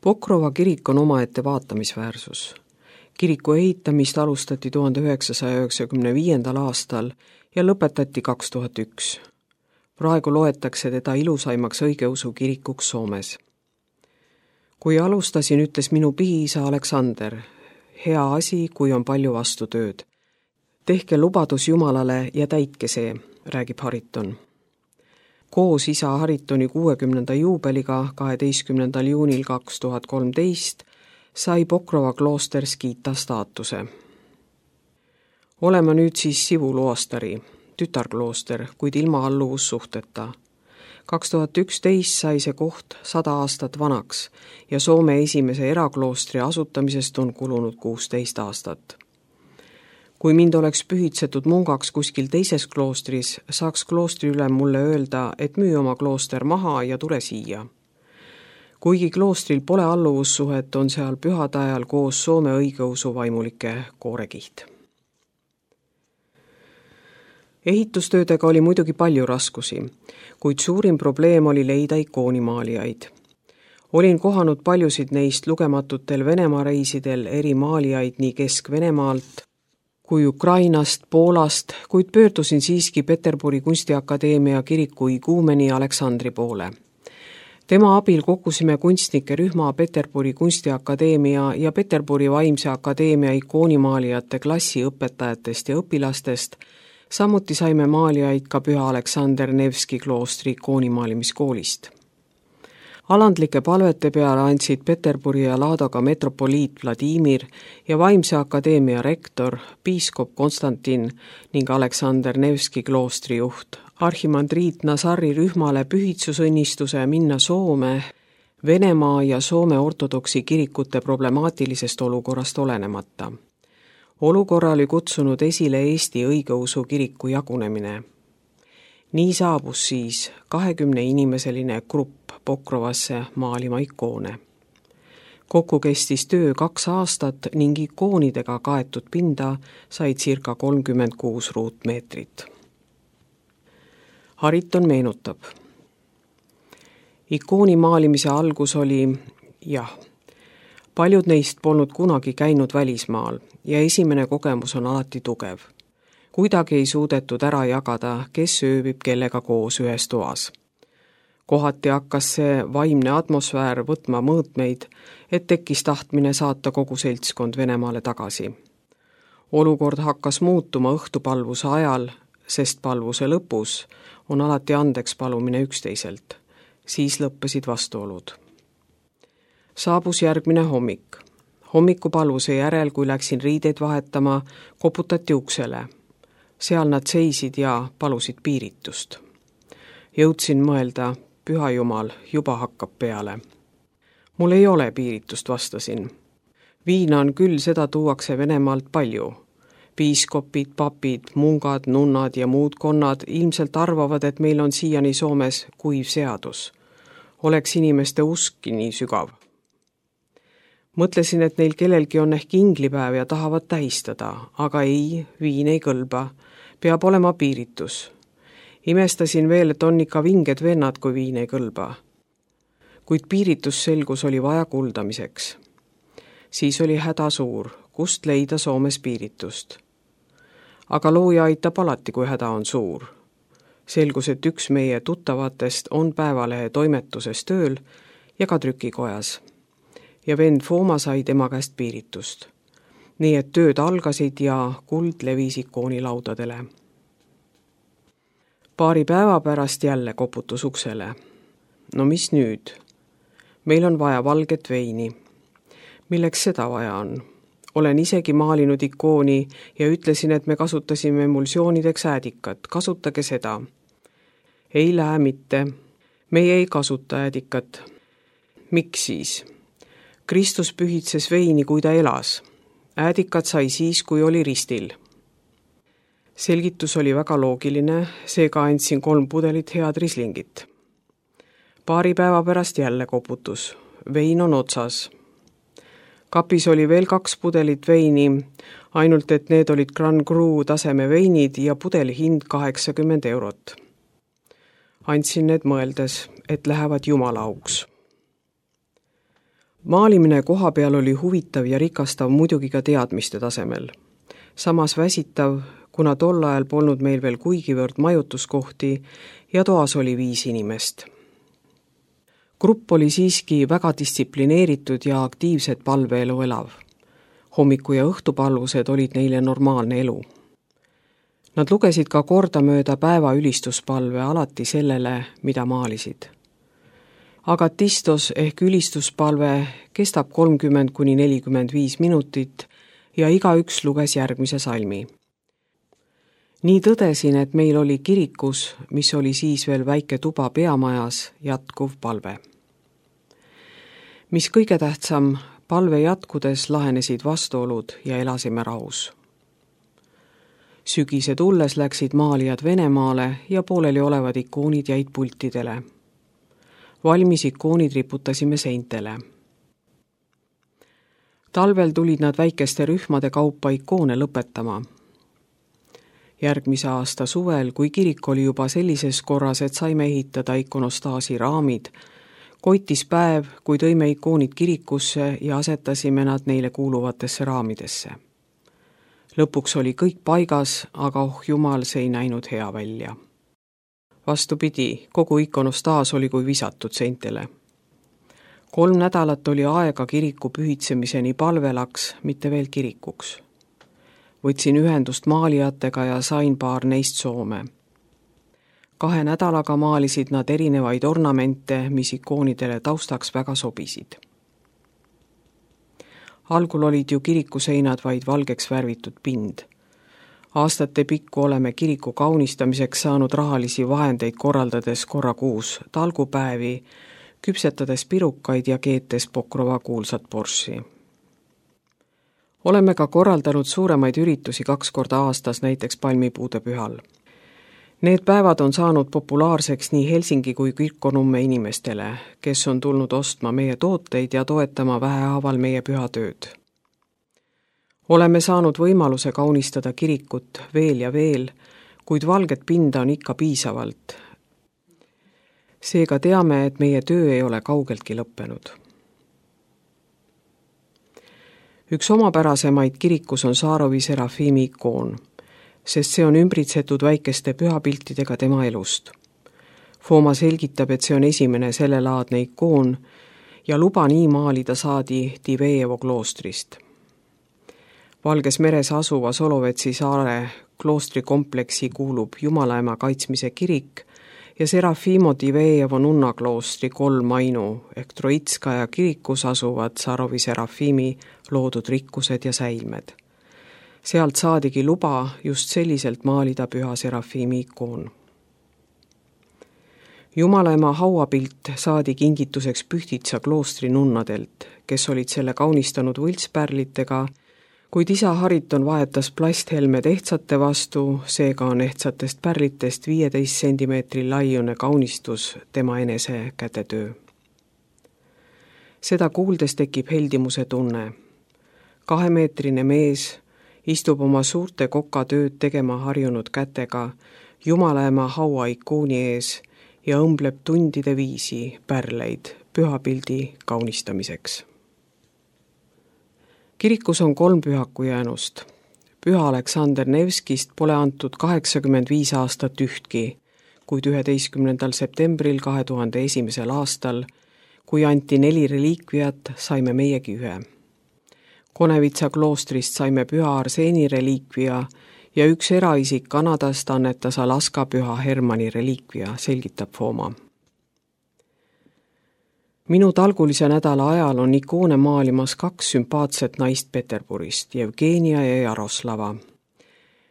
Pokrova kirik on omaette vaatamisväärsus. Kiriku ehitamist alustati 1995. aastal ja lõpetati 2001. Praegu loetakse teda ilusaimaks õigeusu kirikuks Soomes. Kui alustasin, ütles minu pihiisa Aleksander, hea asi, kui on palju vastutööd. Tehke lubadus Jumalale ja täitke see, räägib Hariton. Koos isa Haritoni 60. juubeliga 12. juunil 2013 sai Pokrova klooster Skita staatuse. Olema nüüd siis Sivu Luostari, tütarklooster, kuid ilma alluvussuhteta. 2011 sai see koht 100 aastat vanaks ja Soome esimese erakloostri asutamisest on kulunud 16 aastat. Kui mind oleks pühitsetud mungaks kuskil teises kloostris, saaks kloostri ülem mulle öelda, et müü oma klooster maha ja tule siia. Kuigi kloostril pole alluvussuhet, on seal pühade ajal koos Soome õigeusu vaimulike koorekiht. Ehitustöödega oli muidugi palju raskusi, kuid suurim probleem oli leida ikoonimaalijaid. Olin kohanud paljusid neist lugematutel Venemaa reisidel eri maalijaid nii Kesk-Venemaalt kui Ukrainast, Poolast, kuid pöördusin siiski Peterburi kunstiakadeemia kiriku iguumeni Aleksandri poole. Tema abil kokkusime kunstnike rühma Peterburi kunstiakadeemia ja Peterburi vaimse akadeemia ikoonimaalijate klassiõpetajatest ja õpilastest, samuti saime maalijaid ka Püha Aleksander Nevski kloostri ikoonimaalimiskoolist. Alandlike palvete peale andsid Peterburi ja Ladoga metropoliit Vladimir ja Vaimse akadeemia rektor, piiskop Konstantin ning Aleksander Nevski kloostri juht arhimandriit Nazari rühmale pühitsusõnnistuse minna Soome, Venemaa ja Soome ortodoksi kirikute problemaatilisest olukorrast olenemata. Olukorra oli kutsunud esile Eesti õigeusu kiriku jagunemine. Nii saabus siis 20-inimeseline grupp Pokrovasse maalima ikoone. Kokku kestis töö 2 aastat ning ikoonidega kaetud pinda sai circa 36 ruutmeetrit. Hariton meenutab. Ikooni maalimise algus oli, paljud neist polnud kunagi käinud välismaal ja esimene kogemus on alati tugev. Kuidagi ei suudetud ära jagada, kes ööbib kellega koos ühes toas. Kohati hakkas see vaimne atmosfäär võtma mõõtmeid, et tekkis tahtmine saata kogu seltskond Venemaale tagasi. Olukord hakkas muutuma õhtupalvuse ajal, sest palvuse lõpus on alati andeks palumine üksteiselt. Siis lõppesid vastuolud. Saabus järgmine hommik. Hommikupalvuse järel, kui läksin riideid vahetama, koputati uksele. Seal nad seisid ja palusid piiritust. Jõudsin mõelda, Püha Jumal, juba hakkab peale. Mul ei ole piiritust, vastasin. Viina on küll, seda tuuakse Venemaalt palju. Piiskopid, papid, mungad, nunnad ja muud konnad ilmselt arvavad, et meil on siiani Soomes kuiv seadus. Oleks inimeste uskki nii sügav. Mõtlesin, et neil kellelgi on ehk inglipäev ja tahavad tähistada, aga ei, viin ei kõlba. Peab olema piiritus. Imestasin veel, et on ikka vinged vennad, kui viin ei kõlba. Kuid piiritusselgus oli vaja kuldamiseks. Siis oli häda suur, kust leida Soomes piiritust. Aga looja aitab alati, kui häda on suur. Selgus, et üks meie tuttavatest on Päevalehe toimetuses tööl ja ka trükikojas. Ja vend Fooma sai tema käest piiritust. Nii et tööd algasid ja kuld levis ikoonilaudadele. Paari päeva pärast jälle koputus uksele. No mis nüüd? Meil on vaja valget veini. Milleks seda vaja on? Olen isegi maalinud ikooni ja ütlesin, et me kasutasime emulsioonideks äädikat. Kasutage seda. Ei lähe mitte. Meie ei kasuta äädikat. Miks siis? Kristus pühitses veini, kui ta elas. Äädikat sai siis, kui oli ristil. Selgitus oli väga loogiline, seega andsin 3 pudelit head rislingit. Paari päeva pärast jälle koputus. Vein on otsas. Kapis oli veel 2 pudelit veini, ainult et need olid Grand Cru taseme veinid ja pudeli hind 80 €. Andsin need mõeldes, et lähevad Jumala auks. Maalimine koha peal oli huvitav ja rikastav muidugi ka teadmiste tasemel. Samas väsitav, kuna tol ajal polnud meil veel kuigivõrd majutuskohti ja toas oli 5 inimest. Grupp oli siiski väga distsiplineeritud ja aktiivsed palveelu elav. Hommiku- ja õhtupalvused olid neile normaalne elu. Nad lugesid ka kordamööda päeva ülistuspalve alati sellele, mida maalisid. Agatistos ehk ülistuspalve kestab 30–45 minutit ja igaüks luges järgmise salmi. Nii tõdesin, et meil oli kirikus, mis oli siis veel väike tuba peamajas, jätkuv palve. Mis kõige tähtsam, palve jätkudes lahenesid vastuolud ja elasime rahus. Sügise tulles läksid maalijad Venemaale ja pooleli olevad ikoonid jäid pultidele. Valmis ikoonid riputasime seintele. Talvel tulid nad väikeste rühmade kaupa ikoone lõpetama. Järgmise aasta suvel, kui kirik oli juba sellises korras, et saime ehitada ikonostaasi raamid, koitis päev, kui tõime ikoonid kirikusse ja asetasime nad neile kuuluvatesse raamidesse. Lõpuks oli kõik paigas, aga jumal, see ei näinud hea välja. Vastupidi, kogu ikonostaas oli kui visatud seintele. 3 nädalat oli aega kiriku pühitsemiseni palvelaks, mitte veel kirikuks. Võtsin ühendust maalijatega ja sain paar neist Soome. 2 nädalaga maalisid nad erinevaid ornamente, mis ikoonidele taustaks väga sobisid. Algul olid ju kirikuseinad vaid valgeks värvitud pind. Aastate pikku oleme kiriku kaunistamiseks saanud rahalisi vahendeid korraldades korra kuus talgupäevi, küpsetades pirukaid ja keetes Pokrova kuulsat borssi. Oleme ka korraldanud suuremaid üritusi 2 korda aastas, näiteks palmipuude pühal. Need päevad on saanud populaarseks nii Helsingi kui Kirkkonumme inimestele, kes on tulnud ostma meie tooteid ja toetama vähehaaval meie pühatööd. Oleme saanud võimaluse kaunistada kirikut veel ja veel, kuid valget pinda on ikka piisavalt. Seega teame, et meie töö ei ole kaugeltki lõppenud. Üks omapärasemaid kirikus on Saarovi Serafimi ikoon, sest see on ümbritsetud väikeste pühapiltidega tema elust. Fooma selgitab, et see on esimene sellelaadne ikoon ja luba nii maalida saadi Divejevo kloostrist. Valges meres asuva Solovetsi saare kloostrikompleksi kuulub Jumalaema kaitsmise kirik ja Serafimo Divejevo nunnakloostri 3 ainu ehk Troitskaja kirikus asuvad Saarovi Serafimi loodud rikkused ja säilmed. Sealt saadigi luba just selliselt maalida püha Serafimi ikoon. Jumalaema hauapilt saadi kingituseks Pühtitsa kloostri nunnadelt, kes olid selle kaunistanud võltspärlitega, kuid isa Hariton vahetas plasthelmed ehtsate vastu, seega on ehtsatest pärlitest 15 centimeetri laiune kaunistus tema enese kätetöö. Seda kuuldes tekib heldimuse tunne. 2-meetrine mees istub oma suurte kokatööd tegema harjunud kätega Jumalaema haua ikooni ees ja õmbleb tundide viisi pärleid pühapildi kaunistamiseks. Kirikus on 3 pühaku jäänust. Püha Aleksander Nevskist pole antud 85 aastat ühtki, kuid 11. septembril 2001. aastal, kui anti 4 reliikviat, saime meiegi 1. Konevitsa kloostrist saime püha Arseeni reliikvia ja üks eraisik Kanadast annetas Alaska püha Hermanni reliikvia, selgitab Fooma. Minu talgulise nädala ajal on ikoone maalimas 2 sümpaatset naist Peterburist, Jevgenia ja Jaroslava.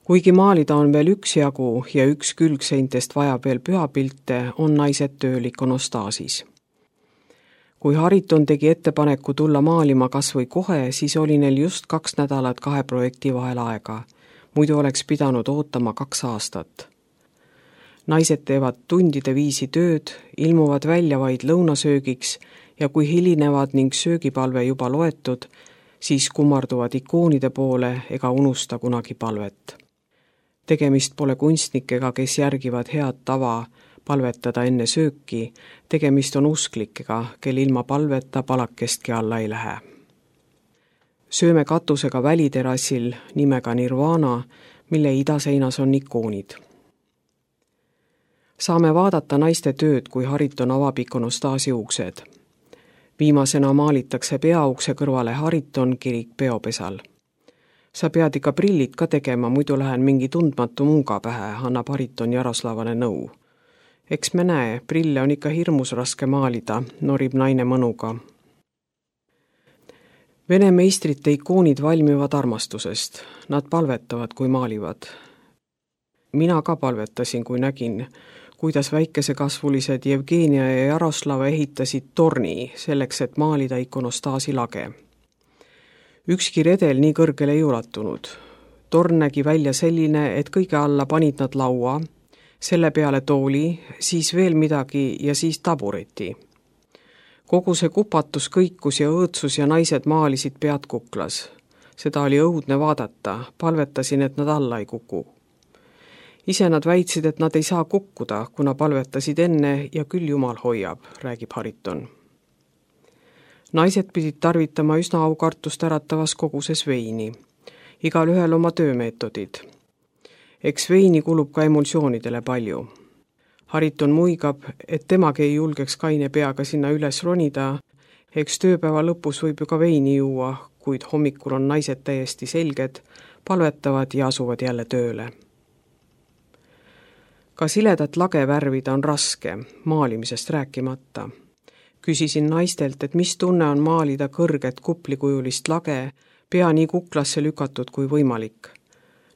Kuigi maalida on veel üksjagu ja üks külgseintest vajab veel pühapilte, on naised tööl ikonostaasis. Kui Hariton tegi ettepaneku tulla maalima kas või kohe, siis oli neil just 2 nädalat 2 projekti vahel aega. Muidu oleks pidanud ootama 2 aastat. Naised teevad tundide viisi tööd, ilmuvad välja vaid lõunasöögiks ja kui hilinevad ning söögipalve juba loetud, siis kummarduvad ikoonide poole ega unusta kunagi palvet. Tegemist pole kunstnikega, kes järgivad head tava, palvetada enne sööki, tegemist on usklikega, kel ilma palveta palakestki alla ei lähe. Sööme katusega väliterassil nimega Nirvana, mille idaseinas on ikoonid. Saame vaadata naiste tööd, kui Hariton avab ikonostaasi uksed. Viimasena maalitakse peaukse kõrvale Hariton kirik peopesal. Sa pead ikka prillid ka tegema, muidu lähen mingi tundmatu munga pähe, annab Hariton Jaroslavale nõu. Eks me näe, prille on ikka hirmus raske maalida, norib naine mõnuga. Vene meistrite ikoonid valmivad armastusest. Nad palvetavad, kui maalivad. Mina ka palvetasin, kui nägin, kuidas väikesekasvulised Jevgenia ja Jaroslava ehitasid torni selleks, et maalida ikonostaasi lage. Ükski redel nii kõrgele ei ulatunud. Torn nägi välja selline, et kõige alla panid nad laua, selle peale tooli, siis veel midagi ja siis tabureti. Kogu see kupatus kõikus ja õõtsus ja naised maalisid pead kuklas. Seda oli õudne vaadata, palvetasin, et nad alla ei kuku. Ise nad väitsid, et nad ei saa kukkuda, kuna palvetasid enne ja küll Jumal hoiab, räägib Hariton. Naised pidid tarvitama üsna aukartust äratavas koguses veini. Igal ühel oma töömeetodid. Eks veini kulub ka emulsioonidele palju. Hariton muigab, et temagi ei julgeks kaine peaga sinna üles ronida. Eks tööpäeva lõpus võib ju ka veini juua, kuid hommikul on naised täiesti selged, palvetavad ja asuvad jälle tööle. Ka siledat lage värvida on raske, maalimisest rääkimata. Küsisin naistelt, et mis tunne on maalida kõrget kuplikujulist lage, pea nii kuklasse lükatud kui võimalik.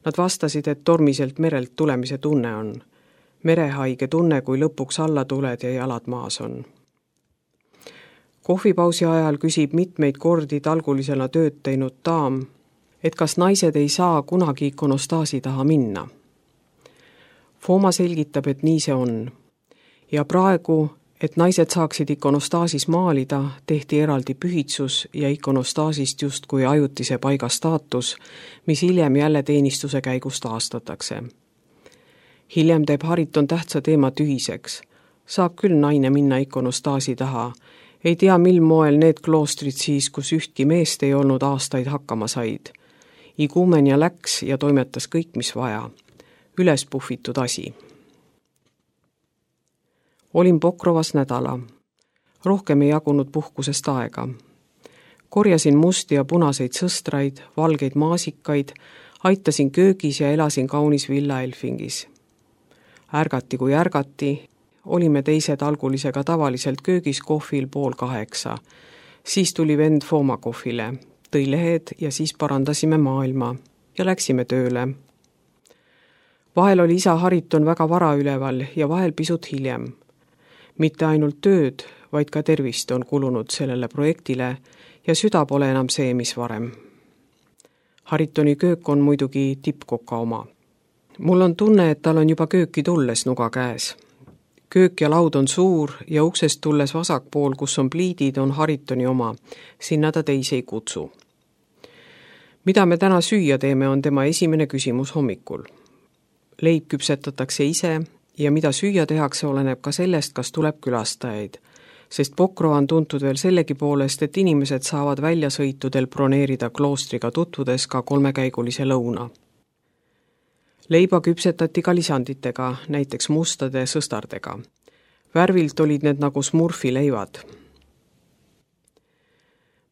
Nad vastasid, et tormiselt merelt tulemise tunne on. Merehaige tunne, kui lõpuks alla tuled ja jalad maas on. Kohvipausi ajal küsib mitmeid kordi talgulisena tööd teinud daam, et kas naised ei saa kunagi ikonostaasi taha minna. Fooma selgitab, et nii see on. Ja praegu, et naised saaksid ikonostaasis maalida, tehti eraldi pühitsus ja ikonostaasist justkui ajutise paiga staatus, mis hiljem jälle teenistuse käigus taastatakse. Hiljem teeb Hariton tähtsa teema tühiseks. Saab küll naine minna ikonostaasi taha. Ei tea, mil moel need kloostrid siis, kus ühtki meest ei olnud aastaid hakkama said. Igumenia läks ja toimetas kõik, mis vaja. Üles puhvitud asi. Olin Pokrovas nädala. Rohkem ei jagunud puhkusest aega. Korjasin musti ja punaseid sõstraid, valgeid maasikaid, aitasin köögis ja elasin kaunis villa Elfingis. Ärgati kui ärgati, olime teised algulisega tavaliselt köögis kohvil 7:30. Siis tuli vend Fooma kohvile, tõi lehed ja siis parandasime maailma ja läksime tööle. Vahel oli isa Hariton väga vara üleval ja vahel pisut hiljem. Mitte ainult tööd, vaid ka tervist on kulunud sellele projektile ja süda pole enam see, mis varem. Haritoni köök on muidugi tippkoka oma. Mul on tunne, et tal on juba kööki tulles nuga käes. Köök ja laud on suur ja uksest tulles vasakpool, kus on pliidid, on Haritoni oma. Sinna ta teisi ei kutsu. Mida me täna süüa teeme, on tema esimene küsimus hommikul. Leib küpsetatakse ise ja mida süüa tehakse, oleneb ka sellest, kas tuleb külastajaid, sest Pokrova on tuntud veel sellegi poolest, et inimesed saavad väljasõitudel broneerida kloostriga tutvudes ka 3-käigulise lõuna. Leiba küpsetati ka lisanditega, näiteks mustade sõstardega. Värvilt olid need nagu smurfi leivad.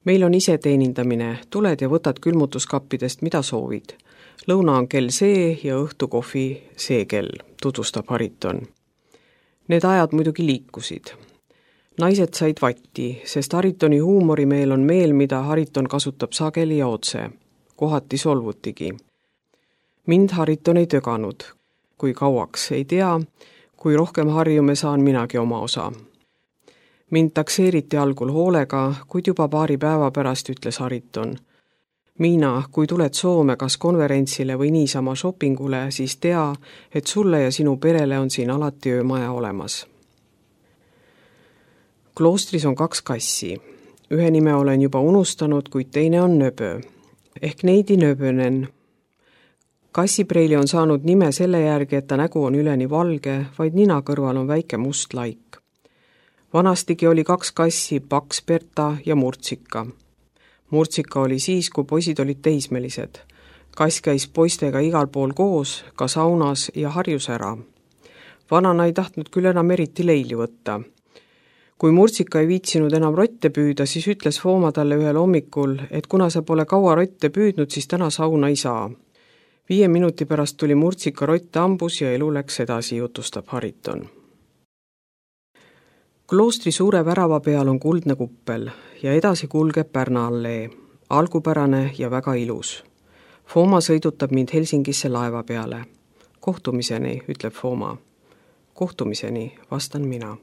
Meil on ise teenindamine, tuled ja võtad külmutuskappidest, mida soovid. Lõuna on kell see ja õhtukohvi see kell, tutvustab Hariton. Need ajad muidugi liikusid. Naised said vatti, sest Haritoni huumorimeel on meel, mida Hariton kasutab sageli ja otse. Kohati solvutigi. Mind Hariton ei töganud. Kui kauaks ei tea, kui rohkem harjume, saan minagi oma osa. Mind takseeriti algul hoolega, kuid juba paari päeva pärast ütles Hariton. Miina, kui tuled Soome kas konverentsile või niisama shoppingule, siis tea, et sulle ja sinu perele on siin alati öömaja olemas. Kloostris on 2 kassi. Ühe nime olen juba unustanud, kuid teine on Nöbö. Ehk Neidi Nöbönen. Kassipreili on saanud nime selle järgi, et ta nägu on üleni valge, vaid nina kõrval on väike must laik. Vanastigi oli 2 kassi, Paks Berta ja Murtsika. Murtsika oli siis, kui poisid olid teismelised. Kass käis poistega igal pool koos, ka saunas ja harjus ära. Vanana ei tahtnud küll enam eriti leili võtta. Kui Murtsika ei viitsinud enam rotte püüda, siis ütles Fooma talle ühel hommikul, et kuna sa pole kaua rotte püüdnud, siis täna sauna ei saa. 5 minuti pärast tuli Murtsika rott hambus ja elu läks edasi, jutustab Hariton. Kloostri suure värava peal on kuldne kuppel ja edasi kulgeb Pärna allee, algupärane ja väga ilus. Fooma sõidutab mind Helsingisse laeva peale. Kohtumiseni, ütleb Fooma. Kohtumiseni, vastan mina.